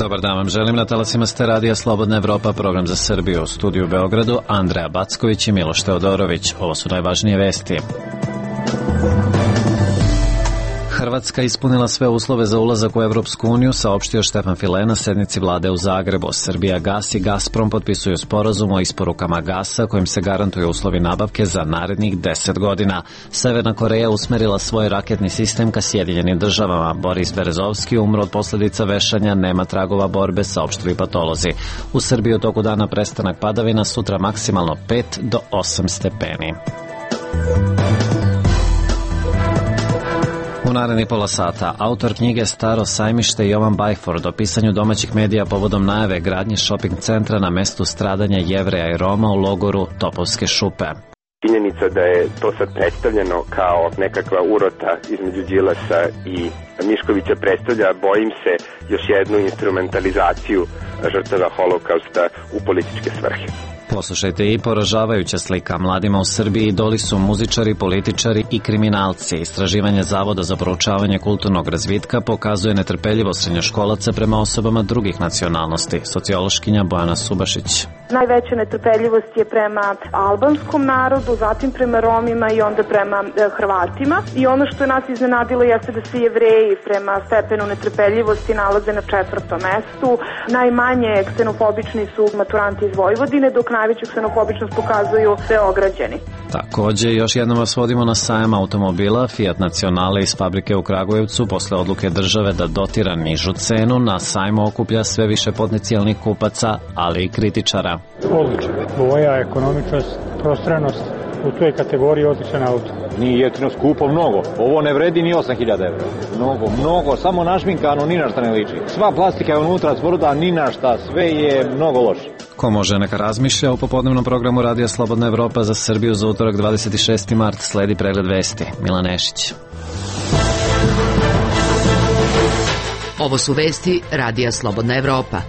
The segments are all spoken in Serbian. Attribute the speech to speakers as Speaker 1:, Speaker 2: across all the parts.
Speaker 1: Dobar dan vam želim, na talasima ste Radija Slobodna Evropa, program za Srbiju. U studiju u Beogradu Andreja Backović i Miloš Teodorović. Ovo su najvažnije vesti. Hrvatska ispunila sve uslove za ulazak u Evropsku uniju, saopštio Štefan File na sednici vlade u Zagrebu. Srbija Gas i Gazprom potpisuju sporazum o isporukama gasa kojim se garantuju uslovi nabavke za narednih 10 godina. Severna Koreja usmerila svoj raketni sistem ka Sjedinjenim državama. Boris Berezovski umro od posljedica vešanja, nema tragova borbe, saopštili patolozi. U Srbiji u toku dana prestanak padavina, sutra maksimalno 5 do 8 stepeni. U narednih pola sata, autor knjige Staro sajmište Jovan Bajford o pisanju domaćih medija povodom najave gradnje šoping centra na mestu stradanja Jevreja i Roma u logoru Topovske šupe.
Speaker 2: Činjenica da je to sad predstavljeno kao nekakva urota između Đilasa i Miškovića predstavlja, bojim se, još jednu instrumentalizaciju žrtava holokausta u političke svrhe.
Speaker 1: Poslušajte i poražavajuća slika. Mladima u Srbiji idoli su muzičari, političari i kriminalci. Istraživanje Zavoda za proučavanje kulturnog razvitka pokazuje netrpeljivost srednjoškolaca prema osobama drugih nacionalnosti. Sociološkinja Bojana Subašić.
Speaker 3: Najveća netrpeljivost je prema albanskom narodu, zatim prema Romima i onda prema Hrvatima. I ono što je nas iznenadilo jeste da se Jevreji prema stepenu netrpeljivosti nalaze na 4. mestu. Najmanje ksenofobični su maturanti iz Vojvodine, dok najveću ksenofobičnost pokazuju Beograđani.
Speaker 1: Također, još jednom vas vodimo na sajam automobila. Fiat Nacionale iz fabrike u Kragujevcu posle odluke države da dotira nižu cenu na sajmu okuplja sve više potencijalnih kupaca, ali i kritičara.
Speaker 4: Odlično. Boja, ekonomičnost, prostranost, u toj kategoriji odličan auto.
Speaker 5: Nije jeftino, skupo mnogo. Ovo ne vredi ni 8.000 evra. Mnogo, samo našminkano, ni na šta ne liči. Sva plastika je unutra tvrda, ni na šta, sve je mnogo loše.
Speaker 1: Ko može neka razmišlja o popodnevnom programu Radija Slobodna Evropa za Srbiju za utorak 26. mart. Sledi pregled vesti. Milan Nešić.
Speaker 6: Ovo su vesti Radija Slobodna Evropa.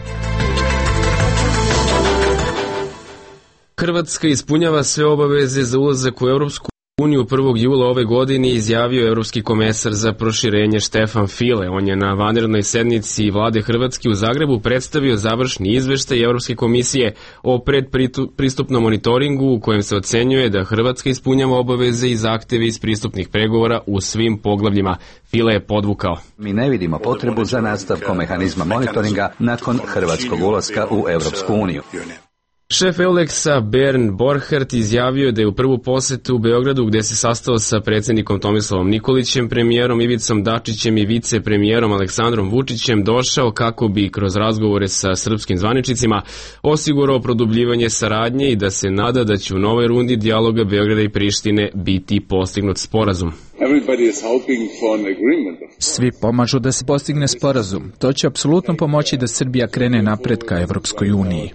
Speaker 7: Hrvatska ispunjava sve obaveze za ulazak u Europsku uniju 1. jula ove godine, izjavio Evropski komesar za proširenje Štefan File. On je na vanrednoj sednici vlade Hrvatske u Zagrebu predstavio završni izveštaj Evropske komisije o predpristupnom monitoringu u kojem se ocenjuje da Hrvatska ispunjava obaveze i zahteve iz pristupnih pregovora u svim poglavljima. File je podvukao:
Speaker 8: Mi ne vidimo potrebu za nastavkom mehanizma monitoringa nakon hrvatskog ulaska u Evropsku uniju.
Speaker 7: Šef Euleksa Bernd Borchardt izjavio je da je u prvu posetu u Beogradu, gde se sastao sa predsjednikom Tomislavom Nikolićem, premijerom Ivicom Dačićem i vicepremijerom Aleksandrom Vučićem, došao kako bi kroz razgovore sa srpskim zvaničnicima osigurao produbljivanje saradnje i da se nada da će u novoj rundi dijaloga Beograda i Prištine biti postignut sporazum.
Speaker 9: Svi pomažu da se postigne sporazum. To će apsolutno pomoći da Srbija krene napred ka Evropskoj uniji.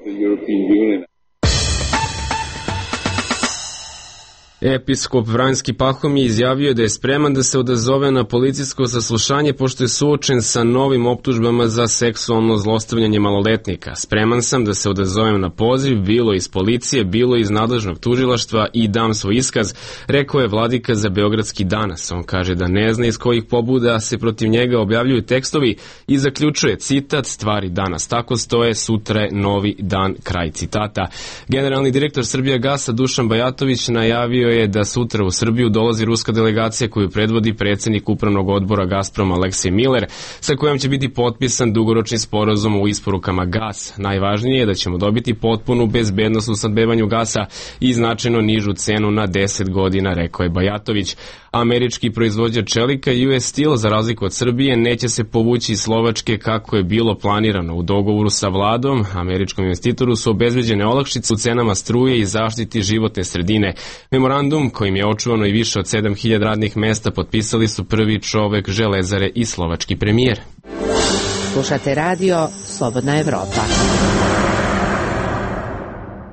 Speaker 7: Episkop Vranjski Pahomije izjavio da je spreman da se odazove na policijsko saslušanje pošto je suočen sa novim optužbama za seksualno zlostavljanje maloletnika. Spreman sam da se odazovem na poziv, bilo iz policije, bilo iz nadležnog tužilaštva i dam svoj iskaz, rekao je vladika za Beogradski Danas. On kaže da ne zna iz kojih pobuda se protiv njega objavljuju tekstovi i zaključuje, citat, stvari danas tako stoje, sutra je novi dan, kraj citata. Generalni direktor Srbija Gasa Dušan Bajatović najavio je da sutra u Srbiju dolazi ruska delegacija koju predvodi predsjednik upravnog odbora Gazproma Aleksej Miller, sa kojom će biti potpisan dugoročni sporazum o isporukama gasa. Najvažnije je da ćemo dobiti potpunu bezbednost u snabdevanju gasa i značajno nižu cenu na 10 godina, rekao je Bajatović. Američki proizvođač čelika US Steel, za razliku od Srbije, neće se povući iz Slovačke kako je bilo planirano. U dogovoru sa vladom, američkom investitoru su obezbeđene olakšice u cenama struje i zaštiti životne sredine. Memorandum, kojim je očuvano i više od 7.000 radnih mesta, potpisali su prvi čovek Železare i slovački premijer.
Speaker 6: Slušate radio Slobodna Evropa.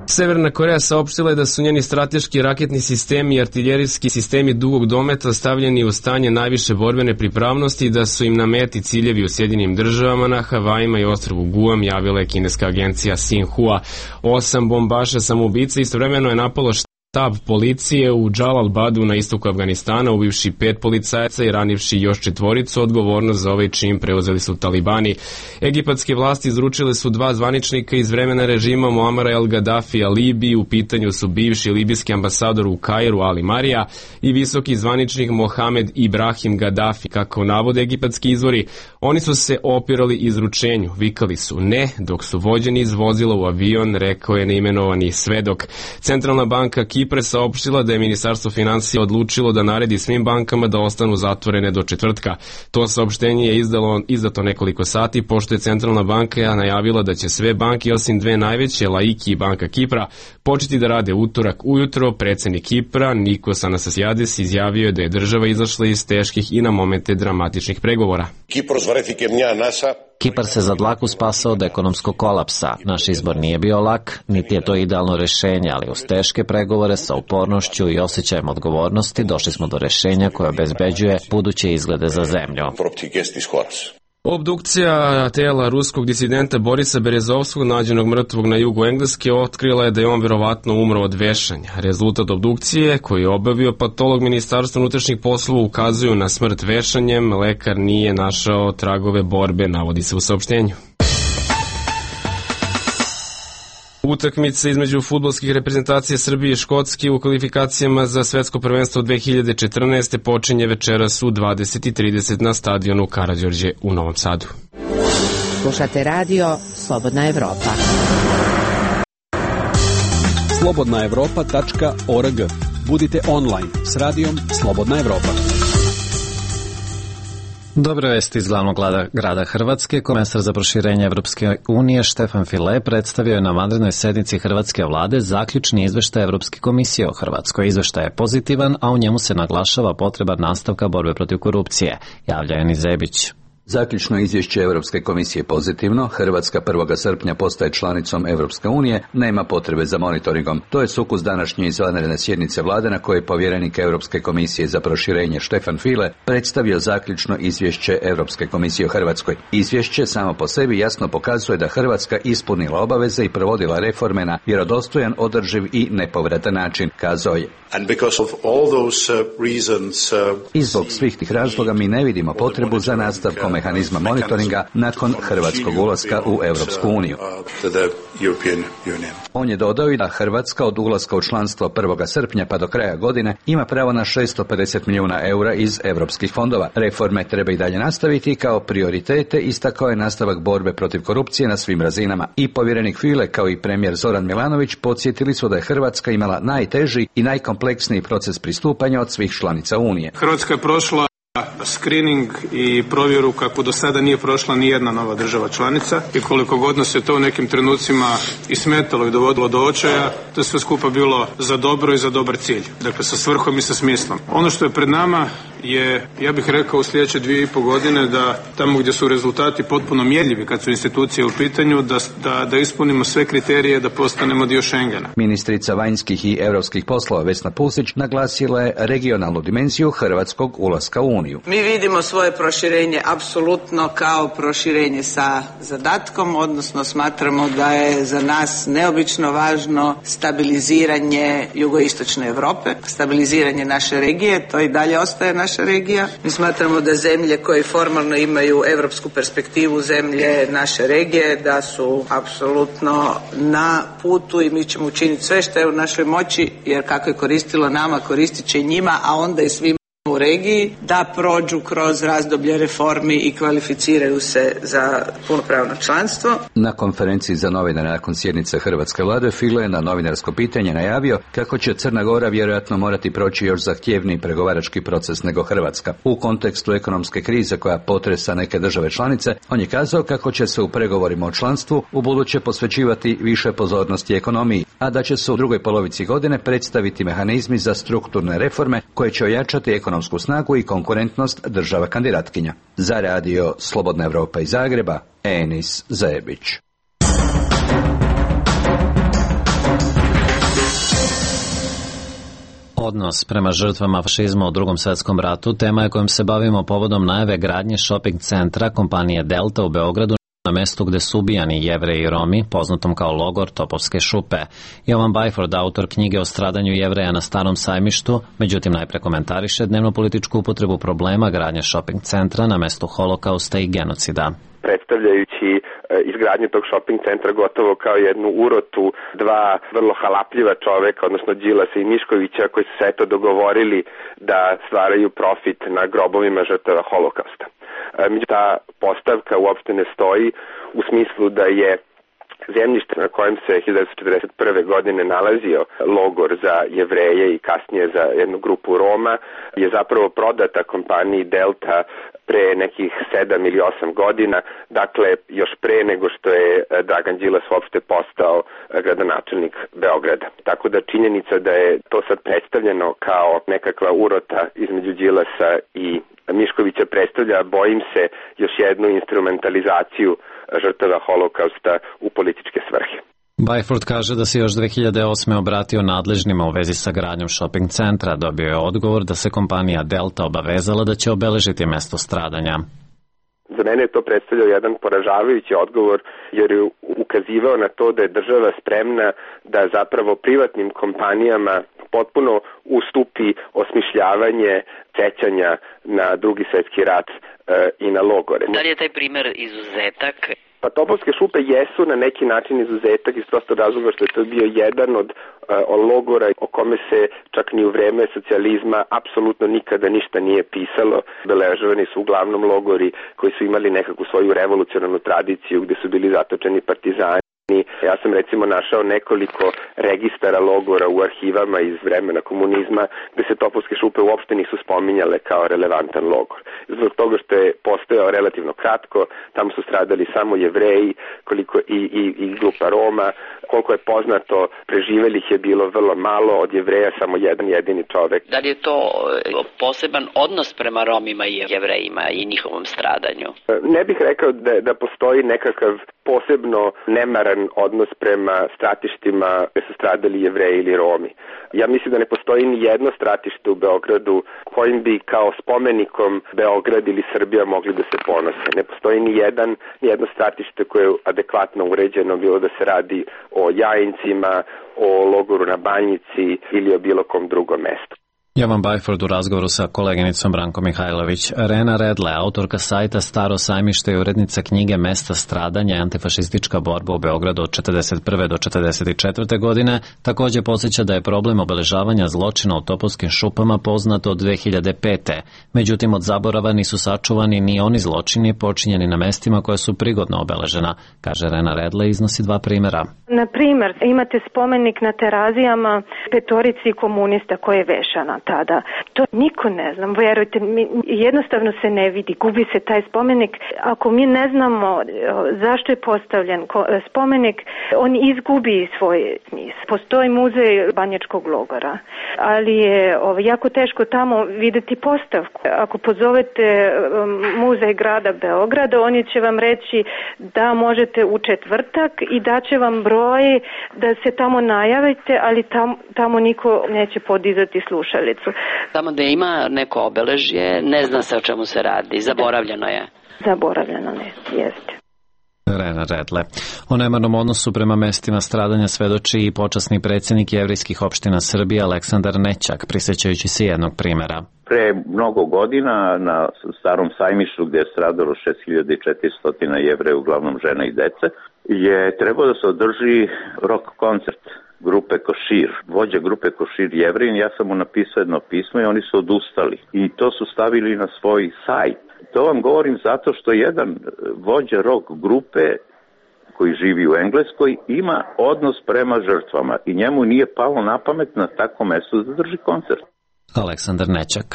Speaker 7: Severna Koreja saopštila je da su njeni strateški raketni sistemi i artiljerijski sistemi dugog dometa stavljeni u stanje najviše borbene pripravnosti i da su im na meti ciljevi u Sjedinjenim državama, na Havajima i ostrvu Guam, javila je kineska agencija Xinhua. 8 bombaša samoubica istovremeno je napalo Štab policije u Džalalbadu na istoku Afganistana, ubivši 5 policajaca i ranivši još 4, odgovornost za ovaj čin preuzeli su talibani. Egipatske vlasti izručile su 2 zvaničnika iz vremena režima Muamara el Gaddafija Libiji. U pitanju su bivši libijski ambasador u Kairu Ali Marija i visoki zvaničnik Mohamed Ibrahim Gaddafi. Kako navode egipatski izvori, oni su se opirali izručenju, vikali su ne, dok su vođeni iz vozila u avion, rekao je neimenovani svedok. Centralna banka Kipra saopštila da je Ministarstvo finansija odlučilo da naredi svim bankama da ostanu zatvorene do četvrtka. To saopštenje je izdato nekoliko sati, pošto je Centralna banka najavila da će sve banke osim 2 najveće, Laiki i Banka Kipra, početi da rade utorak ujutro. Predsednik Kipra, Nikos Anastasiades, izjavio je da je država izašla iz teških i na momente dramatičnih pregovora.
Speaker 1: Kipar se za dlaku spasao od ekonomskog kolapsa. Naš izbor nije bio lak, niti je to idealno rešenje, ali uz teške pregovore sa upornošću i osjećajem odgovornosti došli smo do rešenja koje obezbeđuje buduće izglede za zemlju.
Speaker 7: Obdukcija tela ruskog disidenta Borisa Berezovskog, nađenog mrtvog na jugu Engleske, otkrila je da je on verovatno umro od vešanja. Rezultat obdukcije, koji je obavio patolog Ministarstva unutrašnjih poslova, ukazuju na smrt vešanjem. Lekar nije našao tragove borbe, navodi se u saopštenju. Utakmica između fudbalskih reprezentacija Srbije i Škotske u kvalifikacijama za svetsko prvenstvo 2014. počinje večeras u 20:30 na stadionu Karađorđe u Novom Sadu.
Speaker 6: Slušate radio Slobodna Evropa.
Speaker 10: slobodnaevropa.org. Budite online s radijom Slobodna Evropa.
Speaker 1: Dobre vesti iz glavnog grada Hrvatske. Komesar za proširenje Evropske unije Štefan File predstavio je na vanrednoj sednici Hrvatske vlade zaključni izveštaj Evropske komisije o Hrvatskoj. Izveštaj je pozitivan, a u njemu se naglašava potreba nastavka borbe protiv korupcije, javlja Eni Zebić.
Speaker 8: Zaključno izvješće Europske komisije pozitivno, Hrvatska 1. srpnja postaje članicom Europske unije, nema potrebe za monitoringom. To je sukus današnje izvanredne sjednice vlade na kojoj je povjerenik Europske komisije za proširenje Štefan File predstavio zaključno izvješće Europske komisije o Hrvatskoj. Izvješće samo po sebi jasno pokazuje da Hrvatska ispunila obaveze i provodila reforme na vjerodostojan, održiv i nepovratan način, kazao je. I zbog svih tih razloga mi ne vidimo potrebu za nastavkom mehanizma monitoringa nakon hrvatskog ulaska u Europsku uniju. On je dodao i da Hrvatska od ulaska u članstvo 1. srpnja pa do kraja godine ima pravo na 650 milijuna eura iz europskih fondova. Reforme treba i dalje nastaviti kao prioritete, istakao je nastavak borbe protiv korupcije na svim razinama. I povjerenik File kao i premijer Zoran Milanović podsjetili su da je Hrvatska imala najteži i najkompleksniji proces pristupanja od svih članica Unije.
Speaker 11: Hrvatska je prošla screening i provjeru kako do sada nije prošla ni jedna nova država članica i koliko god nas je to u nekim trenucima i smetalo i dovodilo do očaja, to je sve skupa bilo za dobro i za dobar cilj. Dakle, sa svrhom i sa smislom. Ono što je pred nama je, ja bih rekao, u sljedeće 2,5 godine da tamo gdje su rezultati potpuno mjerljivi kad su institucije u pitanju, da ispunimo sve kriterije da postanemo dio Schengena.
Speaker 8: Ministrica vanjskih i europskih poslova Vesna Pusić naglasila je regionalnu dimenziju hrvatskog ulaska u Uniju.
Speaker 12: Mi vidimo svoje proširenje apsolutno kao proširenje sa zadatkom, odnosno smatramo da je za nas neobično važno stabiliziranje jugoistočne Europe, stabiliziranje naše regije, to i dalje ostaje naša regija. Mi smatramo da zemlje koje formalno imaju europsku perspektivu, zemlje naše regije, da su apsolutno na putu i mi ćemo učiniti sve što je u našoj moći, jer kako je koristilo nama, koristit će i njima, a onda i svima u regiji, da prođu kroz razdoblje reformi i kvalificiraju se za punopravno članstvo.
Speaker 8: Na konferenciji za novinare nakon sjednice Hrvatske vlade File je na novinarsko pitanje najavio kako će Crna Gora vjerojatno morati proći još zahtjevniji pregovarački proces nego Hrvatska. U kontekstu ekonomske krize koja potresa neke države članice, on je kazao kako će se u pregovorima o članstvu ubuduće posvećivati više pozornosti ekonomiji, a da će se u drugoj polovici godine predstaviti mehanizmi za strukturne reforme koje će ojačati ekonomsku snagu i konkurentnost država kandidatkinja. Za radio Slobodna Evropa iz Zagreba, Enis Zebić.
Speaker 1: Odnos prema žrtvama fašizma u Drugom svjetskom ratu tema je kojom se bavimo povodom najave gradnje shopping centra kompanije Delta u Beogradu na mestu gde su ubijani Jevreji i Romi, poznatom kao logor Topovske šupe. Jovan Bajford, autor knjige o stradanju Jevreja na Starom sajmištu, međutim najpre komentariše dnevno-političku upotrebu problema gradnje shopping centra na mestu holokausta i genocida.
Speaker 2: Predstavljajući izgradnju tog shopping centra gotovo kao jednu urotu dva vrlo halapljiva čoveka, odnosno Đilasa i Miškovića, koji su se eto dogovorili da stvaraju profit na grobovima žrtava holokausta. Međutim, ta postavka uopšte ne stoji u smislu da je zemljište na kojem se 1941. godine nalazio logor za Jevreje i kasnije za jednu grupu Roma je zapravo prodata kompaniji Delta pre nekih 7 ili 8 godina, dakle još pre nego što je Dragan Đilas uopšte postao gradonačelnik Beograda. Tako da činjenica da je to sad predstavljeno kao nekakva urota između Đilasa i Miškovića predstavlja, bojim se, još jednu instrumentalizaciju žrtava holokausta u političke svrhe.
Speaker 1: Bajford kaže da se još 2008. obratio nadležnima u vezi sa gradnjom shopping centra. Dobio je odgovor da se kompanija Delta obavezala da će obeležiti mesto stradanja.
Speaker 2: Za mene je to predstavljao jedan poražavajući odgovor, jer je ukazivao na to da je država spremna da zapravo privatnim kompanijama potpuno ustupi osmišljavanje sećanja na Drugi svjetski rat i na logore.
Speaker 13: Da li je taj primer izuzetak?
Speaker 2: Pa Topovske šupe jesu na neki način izuzetak iz prostog razloga što je to bio jedan od logora o kome se čak ni u vreme socijalizma apsolutno nikada ništa nije pisalo. Obeležavani su uglavnom logori koji su imali nekakvu svoju revolucionarnu tradiciju gde su bili zatočeni partizani. Ja sam recimo našao nekoliko registara logora u arhivama iz vremena komunizma gde se Topovske šupe uopšte nisu spominjale kao relevantan logor. Zbog toga što je postojao relativno kratko, tamo su stradali samo Jevreji, koliko i grupa Roma. Koliko je poznato, preživelih je bilo vrlo malo, od Jevreja samo jedan jedini čovek.
Speaker 13: Da li je to poseban odnos prema Romima i Jevrejima i njihovom stradanju?
Speaker 2: Ne bih rekao da postoji nekakav posebno nemaran odnos prema stratištima gde su stradali Jevreji ili Romi. Ja mislim da ne postoji ni jedno stratište u Beogradu kojim bi kao spomenikom Beograd ili Srbija mogli da se ponose. Ne postoji ni jedno stratište koje je adekvatno uređeno, bilo da se radi o Jajincima, o logoru na Banjici ili o bilo kom drugom mestu.
Speaker 1: Jovan Bajford u razgovoru sa koleginicom Branko Mihajlović. Rena Redle, autorka sajta Staro sajmište i urednica knjige Mesta stradanja i antifašistička borba u Beogradu od 1941. do 1944. godine, takođe podsjeća da je problem obeležavanja zločina u Topovskim šupama poznat od 2005. Međutim, od zaborava nisu sačuvani ni oni zločini počinjeni na mestima koja su prigodno obeležena, kaže Rena Redle i iznosi dva primera.
Speaker 3: Na primer, imate spomenik na Terazijama petorici komunista koje je vešana tada. To niko ne znam, verujte, jednostavno se ne vidi, gubi se taj spomenik. Ako mi ne znamo zašto je postavljen spomenik, on izgubi svoj smisao. Postoji muzej Banjačkog logora, ali je jako teško tamo videti postavku. Ako pozovete muzej grada Beograda, oni će vam reći da možete u četvrtak i da će vam broj da se tamo najavite, ali tamo niko neće podizati slušalicu.
Speaker 13: Tamo da ima neko obeležje, ne zna se o čemu se radi, zaboravljeno je.
Speaker 3: Zaboravljeno jeste.
Speaker 1: Rena Redle. O nemarnom odnosu prema mestima stradanja svedoči i počasni predsjednik jevrijskih opština Srbije Aleksandar Nećak, prisjećajući se jednog primera.
Speaker 14: Pre mnogo godina na Starom sajmištu gde je stradalo 6400 Jevreja, uglavnom žena i dece, je trebao da se održi rock koncert grupe Košir. Vođa grupe Košir Jevrin, ja sam mu napisao jedno pismo i oni su odustali. I to su stavili na svoj sajt. To vam govorim zato što jedan vođa rock grupe koji živi u Engleskoj ima odnos prema žrtvama i njemu nije palo na pamet na takvom mestu da drži koncert.
Speaker 1: Aleksandar Nećak.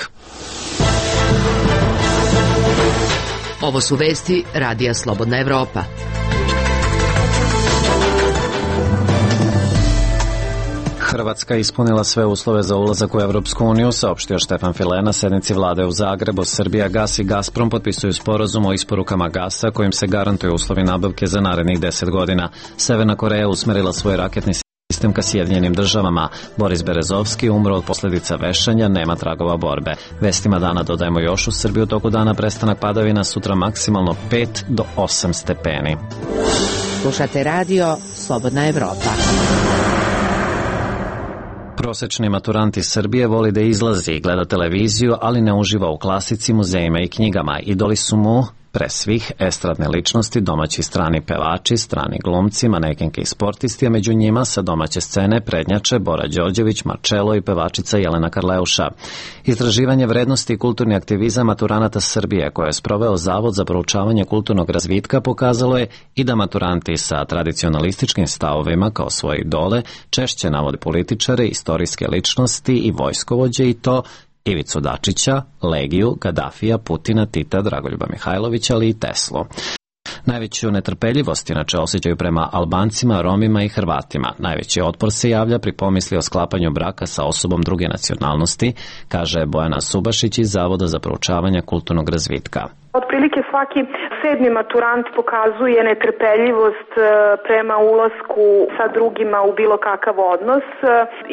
Speaker 6: Ovo su vesti Radija Slobodna Evropa.
Speaker 1: Hrvatska ispunila sve uslove za ulazak u Evropsku uniju, saopštio Štefan File na sednici vlade u Zagrebu. Srbija Gas i Gazprom potpisuju sporazum o isporukama gasa kojim se garantuju uslovi nabavke za narednih 10 godina. Severna Koreja usmerila svoj raketni sistem ka Sjedinjenim državama. Boris Berezovski umro od posljedica vešanja, nema tragova borbe. Vestima dana dodajemo još u Srbiji u toku dana prestanak padavina, sutra maksimalno 5 do 8 stepeni.
Speaker 6: Slušate radio Slobodna Evropa.
Speaker 1: Prosečni maturant iz Srbije voli da izlazi i gleda televiziju, ali ne uživa u klasici, muzejima i knjigama. Idoli su mu pre svih estradne ličnosti, domaći strani pevači, strani glumci, manekenke i sportisti, a među njima sa domaće scene prednjače Bora Đorđević, Marčelo i pevačica Jelena Karleuša. Istraživanje vrednosti i kulturni aktivizam maturanata Srbije, koje je sproveo Zavod za proučavanje kulturnog razvitka, pokazalo je i da maturanti sa tradicionalističkim stavovima kao svoje idole češće navode političare, istorijske ličnosti i vojskovođe, i to Ivicu Dačića, Legiju, Gadafija, Putina, Tita, Dragoljuba Mihajlovića, ali i Teslu. Najveću netrpeljivost inače osjećaju prema Albancima, Romima i Hrvatima. Najveći otpor se javlja pri pomisli o sklapanju braka sa osobom druge nacionalnosti, kaže Bojana Subašić iz Zavoda za proučavanje kulturnog razvitka.
Speaker 3: Otprilike svaki 7. maturant pokazuje netrpeljivost prema ulasku sa drugima u bilo kakav odnos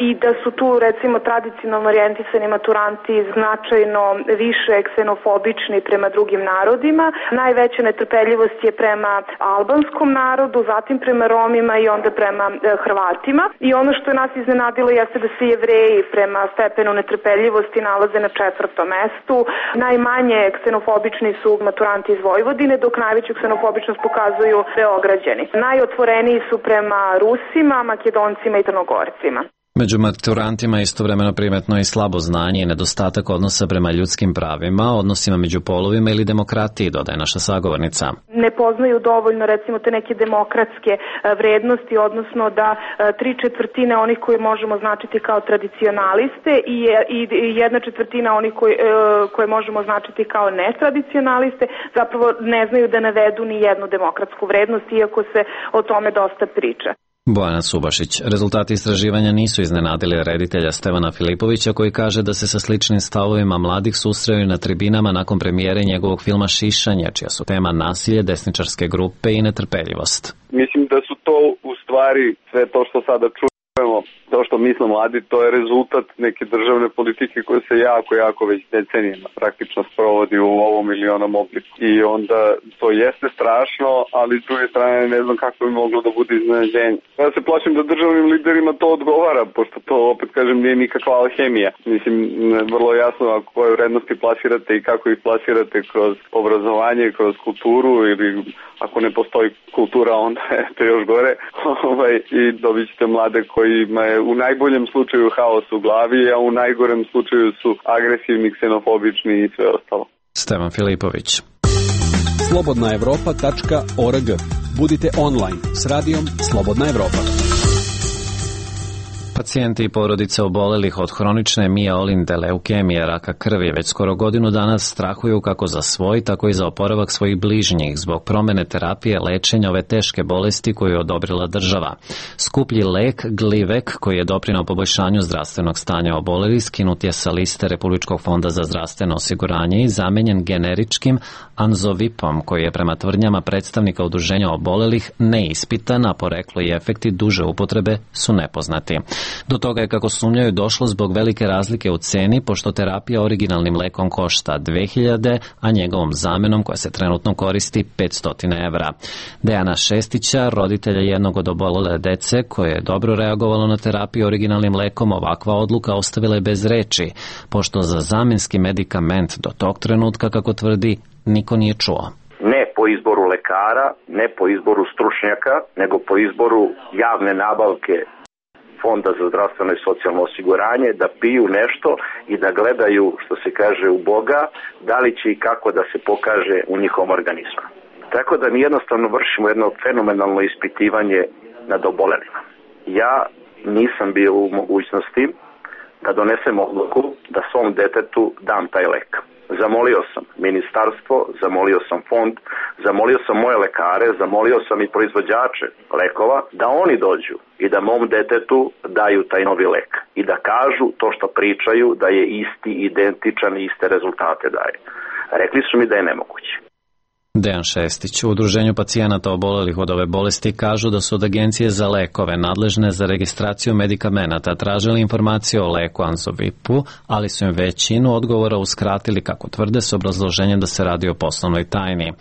Speaker 3: i da su tu recimo tradicionalno orijentisani maturanti značajno više ksenofobični prema drugim narodima. Najveća netrpeljivost je prema albanskom narodu, zatim prema Romima i onda prema Hrvatima. I ono što je nas iznenadilo jeste da se Jevreji prema stepenu netrpeljivosti nalaze na 4. mestu. Najmanje ksenofobični su maturanti iz Vojvodine, dok najveću ksenofobičnost pokazuju Beograđani. Najotvoreniji su prema Rusima, Makedoncima i Crnogorcima.
Speaker 1: Među maturantima istovremeno primetno i slabo znanje i nedostatak odnosa prema ljudskim pravima, odnosima među polovima ili demokratiji, dodaje naša sagovornica.
Speaker 3: Ne poznaju dovoljno recimo te neke demokratske vrednosti, odnosno da 3/4 onih koji možemo značiti kao tradicionaliste i 1/4 onih koje možemo značiti kao netradicionaliste zapravo ne znaju da navedu ni jednu demokratsku vrednost, iako se o tome dosta priča.
Speaker 1: Bojana Subašić. Rezultati istraživanja nisu iznenadili reditelja Stevana Filipovića, koji kaže da se sa sličnim stavovima mladih susreo na tribinama nakon premijere njegovog filma Šišanje, čija su tema nasilje, desničarske grupe i netrpeljivost.
Speaker 15: Mislim da su to u stvari sve to što sada čujemo, to što misle mladi, to je rezultat neke državne politike koje se jako već decenijama praktično sprovodi u ovom ili onom obliku. I onda to jeste strašno, ali s druge strane ne znam kako bi moglo da bude iznenađenje. Ja se plašim da državnim liderima to odgovara, pošto to, opet kažem, nije nikakva alhemija. Mislim, vrlo jasno koje vrednosti plasirate i kako ih plasirate kroz obrazovanje, kroz kulturu, ili ako ne postoji kultura, onda je to još gore. I dobit ćete mlade kojima je u najboljem slučaju haos u glavi, a u najgorem slučaju su agresivni, ksenofobični i sve ostalo.
Speaker 1: Stevan Filipović.
Speaker 10: slobodnaevropa.org. Budite online s radijom Slobodna Evropa.
Speaker 1: Pacijenti i porodice obolelih od hronične mijeolinde leukemije, raka krvi, već skoro godinu dana strahuju kako za svoj, tako i za oporavak svojih bližnjih zbog promene terapije lečenja ove teške bolesti koju je odobrila država. Skuplji lek Glivek, koji je doprinao poboljšanju zdravstvenog stanja obolelih, skinut je sa liste Republičkog fonda za zdravstveno osiguranje i zamenjen generičkim Anzovipom, koji je prema tvrdnjama predstavnika udruženja obolelih neispitan, a poreklo i efekti duže upotrebe su nepoznati. Do toga je, kako sumnjaju, došlo zbog velike razlike u ceni, pošto terapija originalnim lekom košta 2000, a njegovom zamenom, koja se trenutno koristi, 500 evra. Dejana Šestića, roditelja jednog od obolele dece koje je dobro reagovalo na terapiju originalnim lekom, ovakva odluka ostavila je bez reči, pošto za zamenski medikament do tog trenutka, kako tvrdi, niko nije čuo.
Speaker 16: Ne po izboru lekara, ne po izboru stručnjaka, nego po izboru javne nabavke Fonda za zdravstveno i socijalno osiguranje, da piju nešto i da gledaju, što se kaže, u Boga, da li će i kako da se pokaže u njihovom organizmu. Tako da mi jednostavno vršimo jedno fenomenalno ispitivanje nad obolelima. Ja nisam bio u mogućnosti da donesem odluku da svom detetu dam taj lek. Zamolio sam ministarstvo, zamolio sam fond, zamolio sam moje lekare, zamolio sam i proizvođače lekova da oni dođu i da mom detetu daju taj novi lek i da kažu to što pričaju, da je isti, identičan i iste rezultate daje. Rekli su mi da je nemoguće.
Speaker 1: Dejan Šestić. U Udruženju pacijenata obolelih od ove bolesti kažu da su od Agencije za lekove nadležne za registraciju medikamenata tražili informacije o leku Anzovipu, ali su im većinu odgovora uskratili, kako tvrde, s obrazloženjem da se radi o poslovnoj tajni.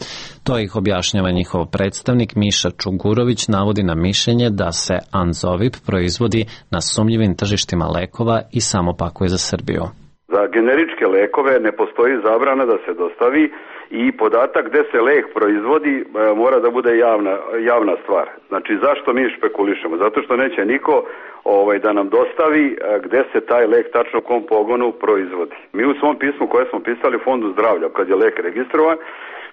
Speaker 1: To ih objašnjava njihov predstavnik Miša Čugurović, navodi na mišljenje da se Anzovip proizvodi na sumnjivim tržištima lekova i samo pakuje za Srbiju.
Speaker 17: Za generičke lekove ne postoji zabrana da se dostavi i podatak gde se lek proizvodi mora da bude javna stvar. Znači, zašto mi špekulišemo? Zato što neće niko da nam dostavi gde se taj lek tačno u kom pogonu proizvodi. Mi u svom pismu koje smo pisali Fondu zdravlja, kad je lek registrovan,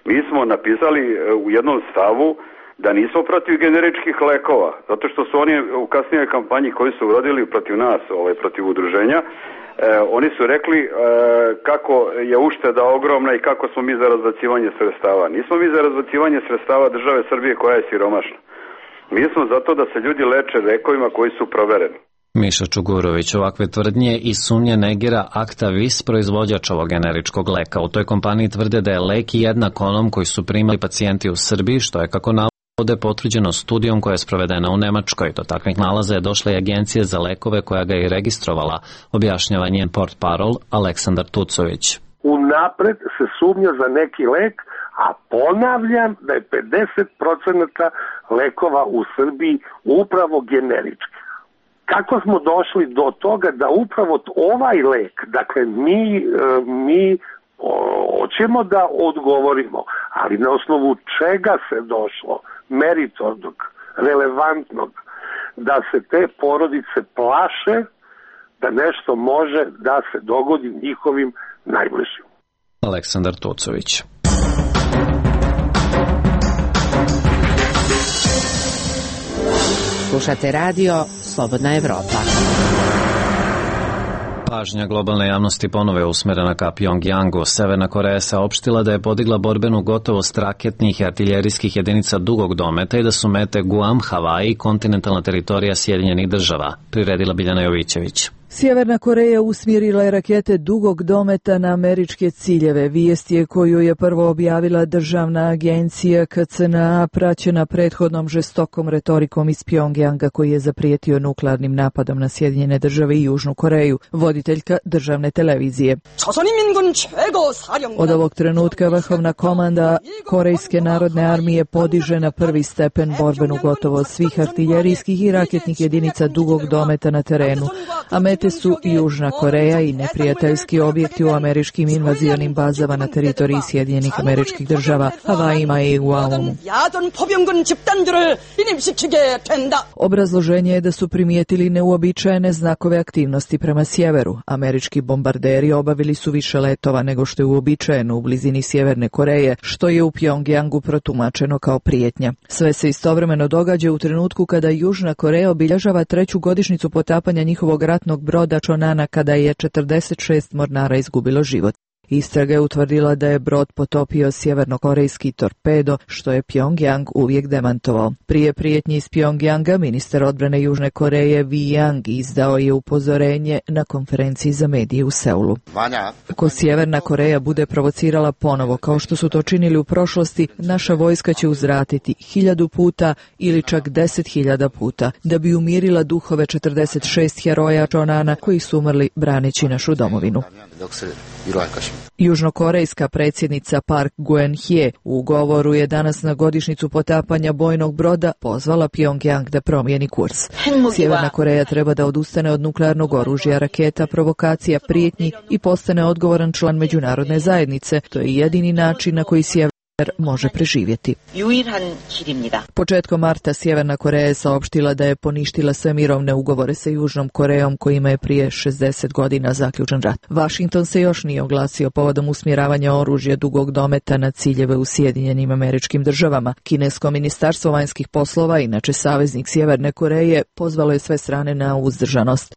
Speaker 17: mi smo napisali u jednom stavu da nismo protiv generičkih lekova, zato što su oni u kasnijoj kampanji koji su urodili protiv nas, protiv udruženja, oni su rekli kako je ušteda ogromna i kako smo mi za razbacivanje sredstava. Nismo mi za razbacivanje sredstava države Srbije koja je siromašna. Mi smo zato da se ljudi leče lekovima koji su provereni.
Speaker 1: Miša Čugurović ovakve tvrdnje i sumnje negira Actavis, proizvođač ovog generičkog leka. U toj kompaniji tvrde da je lek jednak onom koji su primali pacijenti u Srbiji, što je, kako navode, potvrđeno studijom koja je sprovedena u Nemačkoj. Do takvih nalaza je došla i Agencija za lekove koja ga je registrovala, objašnjava njen portparol Aleksandar Tucović.
Speaker 18: Unapred se sumnja za neki lek, a ponavljam da je 50% lekova u Srbiji upravo generički. Kako smo došli do toga da upravo ovaj lek, dakle mi hoćemo da odgovorimo, ali na osnovu čega se došlo, meritornog, relevantnog, da se te porodice plaše da nešto može da se dogodi njihovim najbližim.
Speaker 1: Aleksandar Tucović.
Speaker 6: Slušate radio Slobodna Evropa.
Speaker 1: Pažnja globalne javnosti ponovo je usmerena ka Pjongjangu. Severna Koreja saopštila da je podigla borbenu gotovost raketnih i artiljerijskih jedinica dugog dometa i da su mete Guam, Havaji i kontinentalna teritorija Sjedinjenih država, priredila Biljana Jovićević.
Speaker 19: Sjeverna Koreja usmjerila je rakete dugog dometa na američke ciljeve. Vijest je koju je prvo objavila državna agencija KCNA, praćena prethodnom žestokom retorikom iz Pjongjanga koji je zaprijetio nuklearnim napadom na Sjedinjene države i Južnu Koreju, voditeljka državne televizije. Od ovog trenutka vrhovna komanda Korejske narodne armije podiže na prvi stepen borbenu gotovost svih artiljerijskih i raketnih jedinica dugog dometa na terenu. Mete su Južna Koreja i neprijateljski objekti u američkim invazionim bazama na teritoriji Sjedinjenih Američkih Država, Havajima i Guamu. Obrazloženje je da su primijetili neuobičajene znakove aktivnosti prema sjeveru. Američki bombarderi obavili su više letova nego što je uobičajeno u blizini Sjeverne Koreje, što je u Pjongjangu protumačeno kao prijetnja. Sve se istovremeno događa u trenutku kada Južna Koreja obilježava 3. godišnjicu potapanja njihovog ratnog broda Chonana kada je 46 mornara izgubilo život. Istraga je utvrdila da je brod potopio sjevernokorejski torpedo, što je Pjongjang uvijek demantovao. Prije prijetnji iz Pjongjanga, ministar odbrane Južne Koreje Wi Yang izdao je upozorenje na konferenciji za medije u Seulu. Ako Sjeverna Koreja bude provocirala ponovo, kao što su to činili u prošlosti, naša vojska će uzvratiti 1000 puta ili čak 10.000 puta, da bi umirila duhove 46 heroja Chonana koji su umrli braneći našu domovinu. Južnokorejska predsjednica Park Geun-hye u govoru je danas na godišnjicu potapanja bojnog broda pozvala Pjongjang da promijeni kurs. Sjeverna Koreja treba da odustane od nuklearnog oružja, raketa, provokacija, prijetnji i postane odgovoran član međunarodne zajednice. To je jedini način na koji Sjeverna može preživjeti. Početkom marta Sjeverna Koreja je saopštila da je poništila sve mirovne ugovore sa Južnom Korejom kojima je prije 60 godina zaključen rat. Washington se još nije oglasio povodom usmjeravanja oružja dugog dometa na ciljeve u Sjedinjenim Američkim Državama. Kinesko ministarstvo vanjskih poslova, inače saveznik Sjeverne Koreje, pozvalo je sve strane na uzdržanost.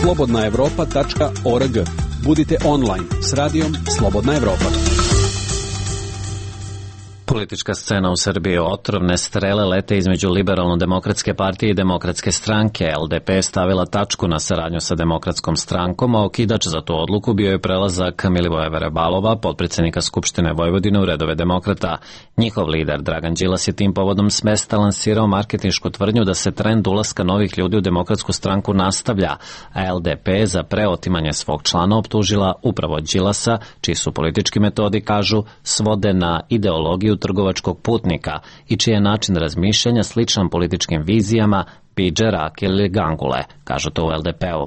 Speaker 10: Slobodnaevropa.org. Budite online s radijom Slobodna Evropa.
Speaker 1: Politička scena u Srbiji, otrovne strele lete između Liberalno-demokratske partije i Demokratske stranke. LDP je stavila tačku na saradnju sa Demokratskom strankom, a okidač za tu odluku bio je prelazak Milivoja Verebalova, potpredsednika Skupštine Vojvodine, u redove demokrata. Njihov lider Dragan Đilas je tim povodom s mesta lansirao marketinšku tvrdnju da se trend ulaska novih ljudi u Demokratsku stranku nastavlja, a LDP je za preotimanje svog člana optužila upravo Đilasa, čiji su politički metodi, kažu, svode na ideologiju trgovačkog putnika i čiji je način razmišljanja sličan političkim vizijama Pidže, Rake ili Gangule, kažu to u LDP-u.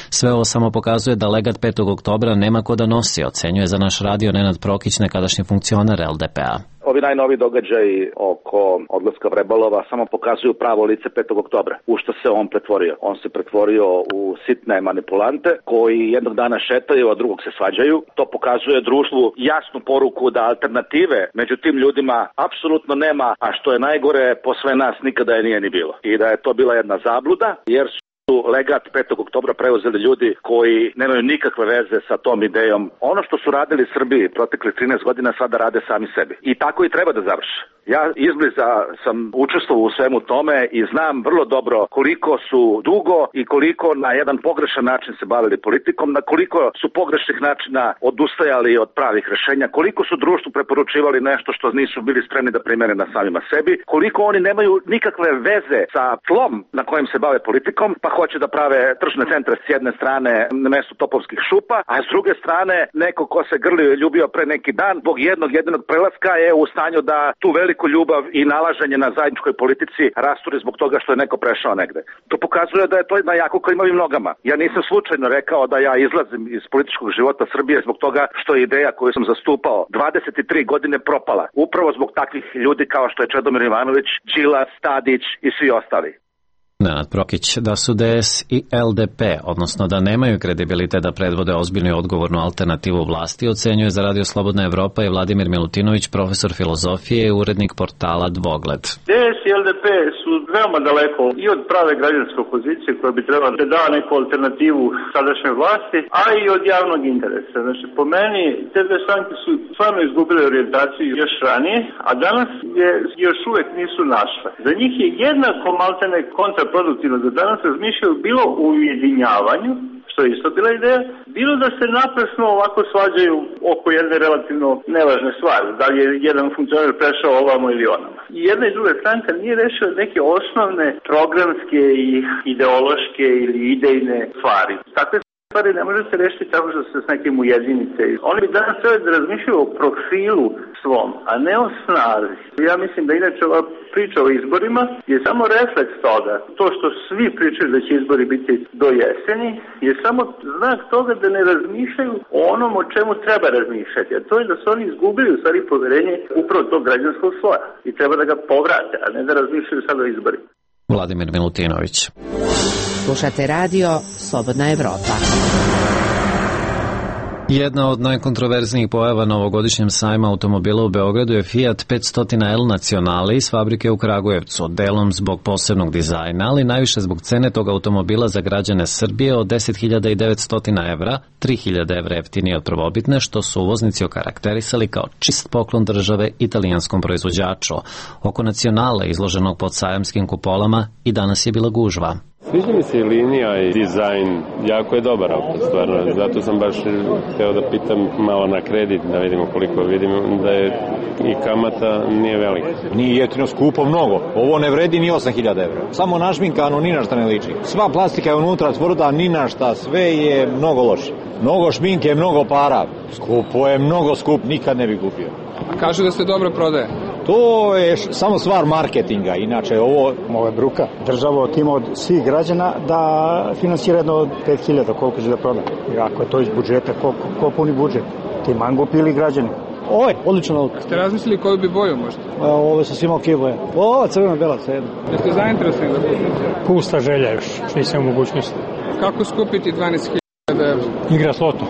Speaker 1: Sve ovo samo pokazuje da legat 5. oktobra nema ko da nosi, ocenjuje za naš radio Nenad Prokić, nekadašnji funkcioner LDP-a.
Speaker 20: Ovi najnoviji događaji oko odlaska Vrebalova samo pokazuju pravo lice 5. oktobra. U što se on pretvorio? On se pretvorio u sitne manipulante koji jednog dana šetaju, a drugog se svađaju. To pokazuje društvu jasnu poruku da alternative među tim ljudima apsolutno nema, a što je najgore, posle nas nikada je nije ni bilo. I da je to bila jedna zabluda, jer su legat 5. oktobra preuzeli ljudi koji nemaju nikakve veze sa tom idejom. Ono što su radili Srbiji protekli 13 godina sada rade sami sebi. I tako i treba da završe. Ja izbliza sam učestvovao u svemu tome i znam vrlo dobro koliko su dugo i koliko na jedan pogrešan način se bavili politikom, na koliko su pogrešnih načina odustajali od pravih rešenja, koliko su društvu preporučivali nešto što nisu bili spremni da primene na samima sebi, koliko oni nemaju nikakve veze sa tlom na kojem se bave politikom, pa hoće da prave tržne centre s jedne strane na mestu topovskih šupa, a s druge strane neko ko se grlio i ljubio pre neki dan, zbog jednog prelaska je u stanju da tu veliku ljubav i nalaženje na zajedničkoj politici rasturi zbog toga što je neko prešao negde. To pokazuje da je to jedna jako klimavim nogama. Ja nisam slučajno rekao da ja izlazim iz političkog života Srbije zbog toga što je ideja koju sam zastupao 23 godine propala. Upravo zbog takvih ljudi kao što je Čedomir Ivanović, Đilas, Tadić i svi ostali.
Speaker 1: Nenad Prokić, da su DS i LDP, odnosno da nemaju kredibilitet da predvode ozbiljnu i odgovornu alternativu vlasti, ocenjuje za Radio Slobodna Evropa i Vladimir Milutinović, profesor filozofije i urednik portala Dvogled.
Speaker 21: DS i LDP su veoma daleko i od prave građanske opozicije koja bi trebala da da neku alternativu sadašnjoj vlasti, a i od javnog interesa. Znači, po meni, te dve stranke su stvarno izgubile orijentaciju još ranije, a danas je još uvek nisu našle. Za njih je jednako maltene kontraproduktivno da danas razmišljaju bilo u ujedinjavanju, što je isto bila ideja, bilo da se naprasno ovako svađaju oko jedne relativno nevažne stvari, da li je jedan funkcioner prešao ovamo ili onamo. I jedna i druga stranka nije rešila neke osnovne programske i ideološke ili idejne stvari. Takve stvari ne može se rešiti tako što se s nekim ujedinite. Oni bi danas trebali da razmišljaju o profilu svom, a ne o snazi. Ja mislim da inače ova priča o izborima je samo refleks toga. To što svi pričaju da će izbori biti do jeseni je samo znak toga da ne razmišljaju o onom o čemu treba razmišljati. A to je da su oni izgubili u stvari poverenje upravo tog građanskog sloja i treba da ga povrate, a ne da razmišljaju sad o izborima.
Speaker 1: Vladimir Milutinović.
Speaker 6: Slušate radio Slobodna Evropa.
Speaker 1: Jedna od najkontroverznijih pojava na ovogodišnjem sajma automobila u Beogradu je Fiat 500L Nacionale iz fabrike u Kragujevcu, delom zbog posebnog dizajna, ali najviše zbog cene tog automobila za građane Srbije od 10.900 evra, 3.000 evra jeftinije od prvobitne, što su uvoznici okarakterisali kao čist poklon države italijanskom proizvođaču. Oko Nacionale, izloženog pod sajamskim kupolama, i danas je bila gužva.
Speaker 22: Sviđa mi se i linija i dizajn, jako je dobar auto, stvarno, zato sam baš hteo da pitam malo na kredit, da vidimo koliko, vidimo da je i kamata nije velika.
Speaker 5: Nije jeftino, skupo mnogo, ovo ne vredi ni 8.000 evra, samo našminkano, ni na šta ne liči. Sva plastika je unutra tvrda, ni na šta, sve je mnogo loše. Mnogo šminke, mnogo para, skupo je, mnogo skup, nikad ne bi kupio.
Speaker 23: Kažu da se dobro prodaje.
Speaker 5: To je samo stvar marketinga, inače ovo
Speaker 4: je bruka. Država otima od svih građana da finansira jedno od 5.000, koliko će da proda. I ako je to iz budžeta, ko puni budžet? Ti mango pili građani. Ovo je odlično auto.
Speaker 23: Ste razmislili koju bi boju možda?
Speaker 4: Ovo su svima okej boje. Ovo crvena, bela, sve jedno.
Speaker 23: Jeste zainteresovani da kupite?
Speaker 4: Pusta želja još, nisam u mogućnosti.
Speaker 23: Kako skupiti 12.000 evra?
Speaker 4: Igra s lotom.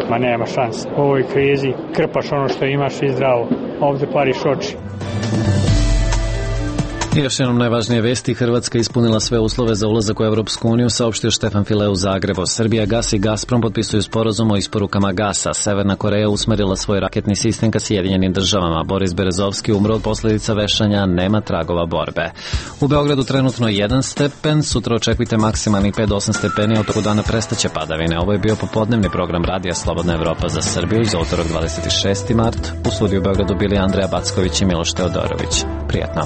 Speaker 4: Ma nema šans. U ovoj krizi krpaš ono što imaš i zdravo. Ovde pariš oči.
Speaker 1: I još jednom najvažnije vesti. Hrvatska ispunila sve uslove za ulazak u Evropsku uniju, saopštio Štefan File u Zagrebu. Srbija, Gas i Gazprom potpisuju sporazum o isporukama gasa. Severna Koreja usmerila svoj raketni sistem ka Sjedinjenim državama. Boris Berezovski umro od posljedica vešanja, nema tragova borbe. U Beogradu trenutno 1 stepen, sutra očekujte maksimalnih 5 do 8 stepeni, a u toku dana prestaće padavine. Ovo je bio popodnevni program Radija Slobodna Evropa za Srbiju za utorak 26. mart. U studiju u Beogradu bili Andreja Backović i Miloš Teodorović. Prijatno.